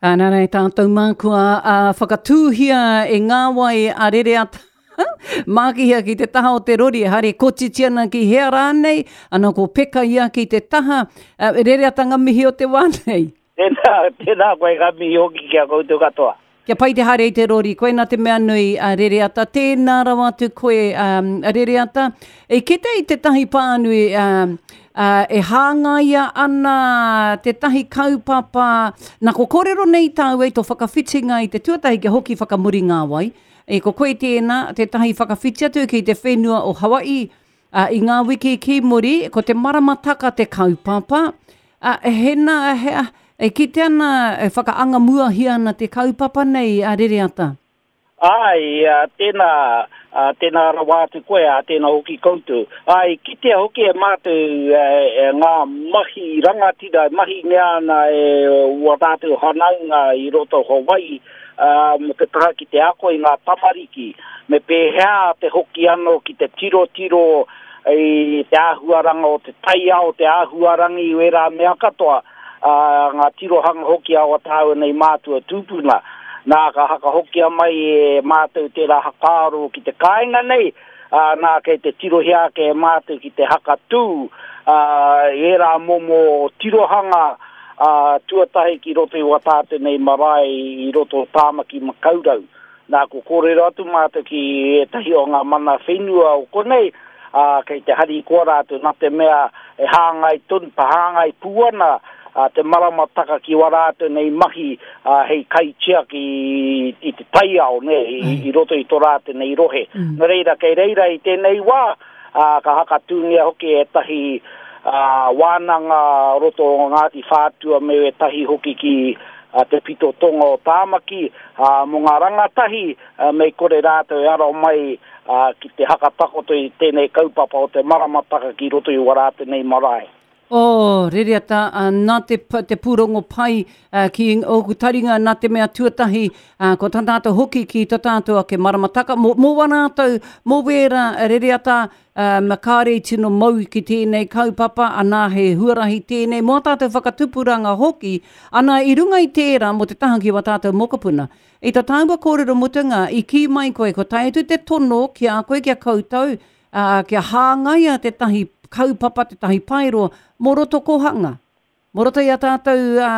Nā rei tātou mā kua whakatūhia e ngā wai a Rereata Mākihia ki te taha o te rori, haere kotiti ana ki hea rānei, ana ko Peka ia ki te taha, Rereata ngā mihi o te wā nei. Tēnā, tēnā koe ngā mihi hoki ki a koutou katoa. Kia pai te haere i te rori, koina te mea nui, a Rereata, tēnā rawa atu koe, um, Rereata. E kite i tētahi pānui, um, uh, e hāngaia ana tētahi kaupapa, nā ko kōrero nei tāu e tō whakawhitinga i te tuatahi kia hoki whakamuri ngā wai, e ko koe tēnā, tētahi whakawhiti atu ki te whenua o Hawaii, Ā, i ngā wiki ki muri, ko te maramataka te kaupapa, ā, he nā, he, e kite ana, e whakaangamuahia ana te kaupapa nei a Rereata. Āe, ā, tēnā, ā, tēnā rawa atu koe, ā, tēnā hoki koutou. Ā, i kitea hoki e mātou e, ngā mahi rangatira e mahingia ana e ua tātou hanaunga i roto o Hawaii, ā, mō te taha ki te ako i ngā tamariki, me pēhea te hoki anō ki te tirotiro i te āhuaranga o te taiao, te āhuarangi, wērā mea katoa, ā, ngā tirohanga hoki a wā tāua nei mātua tūpuna. Nā, ka hakahokia mai e mātou tērā hakaaro ki te kāinga nei, ā, nā, kei te tirohia ake e mātou ki te hakatū, ā, i ērā momo tirohanga, ā, tuatahi ki roto i wā tātou nei marae i roto o Tāmaki Makaurau. Nā, kua kōrero atu mātou ki ētahi o ngā mana whenua o konei, ā, kei te harikoa rātou nā te mea e hāngai tonu, hāngai pū ana te maramataka ki wā rātou nei mahi hei kaitiaki i te taiao, nē, i roto i tō rātou nei rohe. Nō reira, kei reira i tēnei wā, ā, ka hakatūngia hoki ētahi wānanga o roto o Ngāti Whātua me ētahi hoki ki te pito tonga o Tāmaki, ā, mō ngā rangatahi, mei kore rātou e aro mai ki te hakatakoto i tēnei kaupapa o te maramataka ki roto i wā rātou nei marae. Oh, Rereata, nā te, te pūrongo pai ki ōku taringa, nā te mea tuatahi, ko tā tātou hoki ki tā tātou ake maramataka, mō, mō wā rātou, mō wērā, Rereata, um, kāre i tino mau ki tēnei kaupapa, anā he huarahi tēnei, mō ā tātou whakatupuranga hoki, ana i runga i tērā mō te taha ki wā tātou mokopuna. I tā tāua kōrero mutunga, i kī mai koe, ko tae atu te tono ki a koe, ki a koutou, ā, kia hāngaia tētahi kaupapa, tētahi paeroa mō roto kōhanga, mō roto i a tātou ā,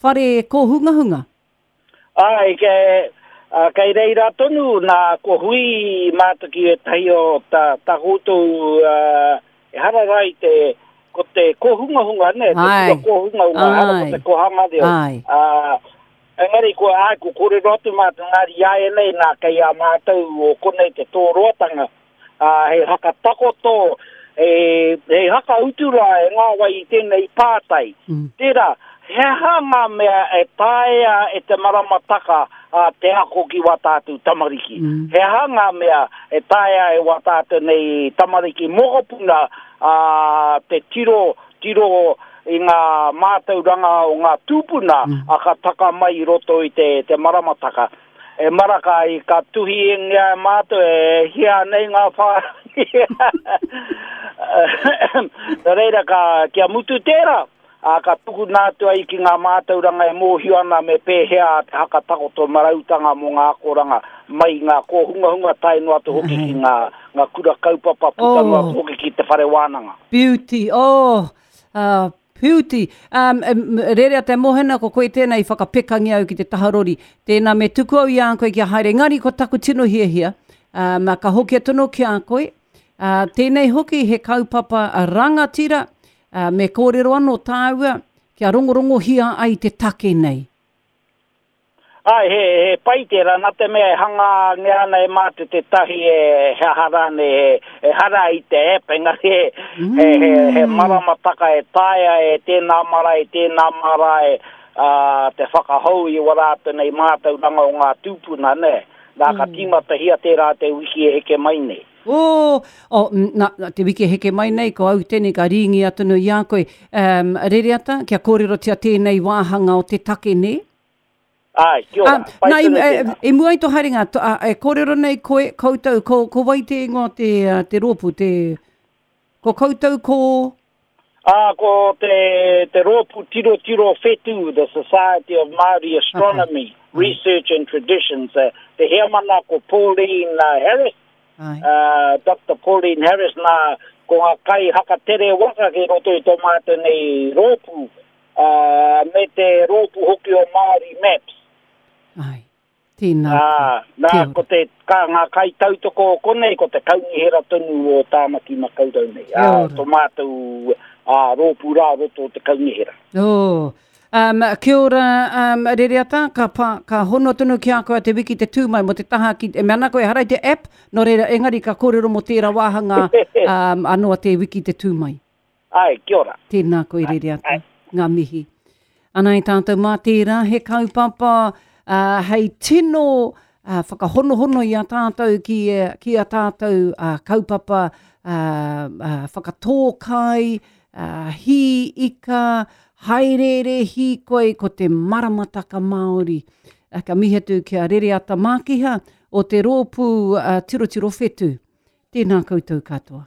whare kōhungahunga. Āe, kei, ā, kei reira tonu, nā, kua hui mātou ki ētahi o tā, tā koutou, ā, ehara rā i te, ko te kōhungahunga, nē, te kura kōhungahunga, ehara ko te kōhanga reo. Ā, Engari kua, āe, kua kōrero atu mātou engari iāianei nā kei a mātou o konei te tōroatanga, ā, hei hakatakoto, hei, hei hakautu rā e ngā wai i tēnei pātai. Tērā, he aha ngā mea e taea e te maramataka ā, te ako ki wā tātou tamariki? He aha ngā mea e taea e wā tātou nei tamariki mokopuna ā, te tiro, tiro i ngā mātauranga o ngā tūpuna a ka taka mai i roto i te, te maramataka. E maraka i ka tuhi ingia e mātou e hia nei ngā whārangi. Nō reira ka, kia mutu tērā, ā, ka tukuna atu ai ki ngā mātauranga e mōhio ana me pēhea te hakatakoto marautanga mō ngā akoranga mai i ngā kōhungahunga tae noa atu hoki ki ngā, ngā kura kaupapa puta noa atu hoki ki te whare wānanga. Beauty, oh, uh, beauty. Um, rerea te mohena, ko koe tēnā i whakapekangia au ki te taha rori. Tēnā me tuku au i a koe kia haere. Engari ko taku tino hiahia, um, ka hoki atu anō ki a koe. Uh, tēnei hoki he kaupapa rangatira, uh, me kōrero anō tāua kia rongorongohia ai te take nei. Āe, he, he pai tērā, nā te mea e hangangia ana e mātou tētahi e, he aha rānei, he, ehara i te app, engari he, he, he, he maramataka e taea e tēnā marae, tēnā marae, ā, te whakahou i wā rātou nei mātauranga o ngā tūpuna, nē. Nā, ka tīmatahia tērā te wiki e heke mai nei. Oh, oh, na, na, te wiki e heke mai nei, ko au tēnei ka rīngi atu i a koe. Um, Rereata, kia kōrerotia tēnei wāhanga o te take, nē? Āe, kia ora. Pai nā, i, e, i mua i tō haerenga, to, a, e kōrero nei koe, koutou, ko, ko wai te ingoa te, te rōpū, te, ko koutou ko... Ā, ko te, te rōpū tirotiro whetū, the Society of Māori Astronomy, okay. Research and Traditions, te heamana ko Pauline Harris, Ai. Uh, Dr. Pauline Harris, nā, ko ngā kai hakatere waka ki roto i tō mātou nei rōpū, uh, me te rōpū hoki o Māori Maps. Ai. Tēnā koe. Nā, ko te, ka, ngā kaitautoko o konei, ko te kaunihera tonu o Tāmaki Makaurau nei. Ā, tō mātou ā, rōpū rā roto o te kaunihera. Oh. Um, kia ora, um, Rereata, ka, pa, ka hono tonu ki a koe a te wiki te tū mai mo te taha ki, e mea ana koe, ehara i te app, nō reira, engari ka kōrero mo tērā wāhanga um, anō a te wiki te tū mai. Āe, kia ora. Tēnā koe Rereata, ngā mihi. Ana i tātou mā tērā he kaupapa uh, hei tino uh, whakahonohono i a tātou ki, ki a tātou uh, kaupapa uh, uh, whakatō kai, uh, hī ika, haereere hīkoi ko te maramataka Māori. Uh, ka mihi atu ki a Rereata Mākiha o te rōpū uh, Tirotiro Whetū. Tēnā koutou katoa.